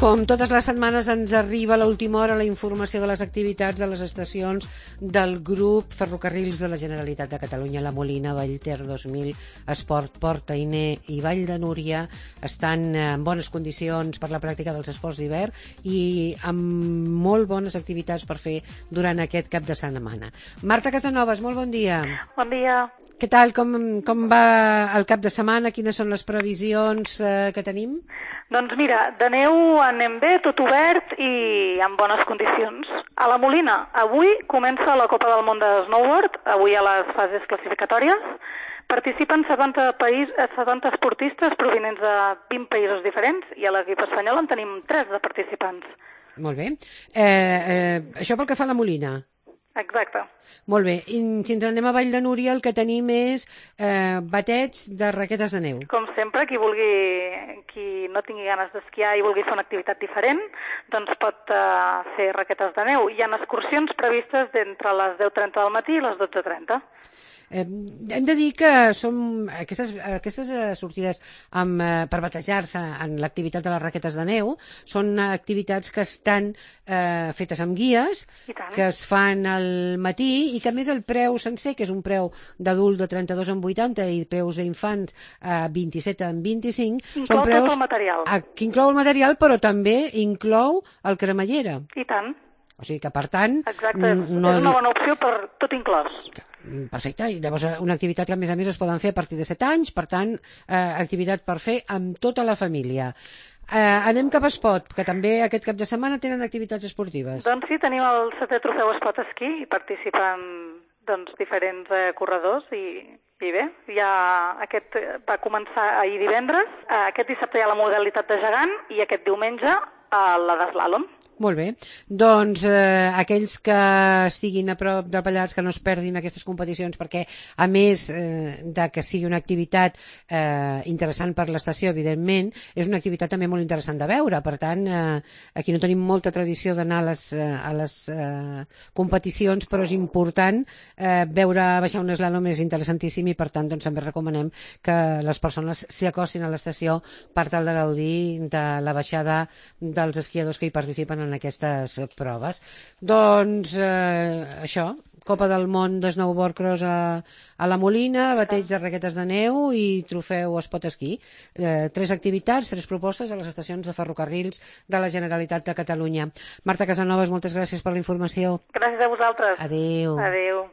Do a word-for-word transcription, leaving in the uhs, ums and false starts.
Com totes les setmanes ens arriba a l'última hora la informació de les activitats de les estacions del grup Ferrocarrils de la Generalitat de Catalunya. La Molina, Vallter dos mil, Esport, Port Ainé i Vall de Núria estan en bones condicions per la pràctica dels esports d'hivern i amb molt bones activitats per fer durant aquest cap de setmana. Marta Casanovas, molt bon dia. Bon dia. Què tal? Com, com va el cap de setmana? Quines són les previsions eh, que tenim? Doncs mira, de neu anem bé, tot obert i en bones condicions. A la Molina, avui comença la Copa del Món de Snowboard, avui a les fases classificatòries. Participen setanta, país, setanta esportistes provinents de vint països diferents i a l'equip espanyol en tenim tres de participants. Molt bé. Eh, eh, això pel que fa a la Molina. Exacte. Molt bé. I si ens anem a Vall de Núria, el que tenim és eh, bateig de raquetes de neu. Com sempre, qui vulgui, qui no tingui ganes d'esquiar i vulgui fer una activitat diferent, doncs pot uh, fer raquetes de neu. Hi ha excursions previstes d'entre les deu trenta del matí i les dotze trenta. Eh, hem de dir que som aquestes, aquestes sortides amb, eh, per batejar-se en l'activitat de les raquetes de neu són activitats que estan eh, fetes amb guies, que es fan al matí i que a més el preu sencer, que és un preu d'adult de trenta-dos en vuitanta i preus d'infants a vint-i-set en vint-i-cinc, inclou són preus tot el material. A, que inclou el material però també inclou el cremallera. I tant. O sigui que per tant... Exacte, no... és una bona opció per tot inclòs. Perfecte, i llavors una activitat que a més a més es poden fer a partir de set anys, per tant, eh, activitat per fer amb tota la família. Eh, anem cap a Espot, que també aquest cap de setmana tenen activitats esportives. Doncs sí, tenim el setè trofeu Espot Esquí i participen doncs, diferents eh, corredors i, i bé, ja aquest va començar ahir divendres, eh, aquest dissabte hi ha la modalitat de gegant i aquest diumenge eh, la d'eslàlom. Molt bé. Doncs eh, aquells que estiguin a prop del Pallars que no es perdin aquestes competicions perquè, a més eh, de que sigui una activitat eh, interessant per l'estació, evidentment, és una activitat també molt interessant de veure. Per tant, eh, aquí no tenim molta tradició d'anar a les, eh, a les eh, competicions, però és important eh, veure baixar un eslalom, és interessantíssim i per tant doncs, també recomanem que les persones s'hi acostin a l'estació per tal de gaudir de la baixada dels esquiadors que hi participen en aquestes proves. Doncs eh, això, Copa del Món de Snowboard Cross a, a la Molina, bateig de raquetes de neu i trofeu Espot Esquí. Eh, tres activitats, tres propostes a les estacions de ferrocarrils de la Generalitat de Catalunya. Marta Casanovas, moltes gràcies per la informació. Gràcies a vosaltres. Adéu. Adéu.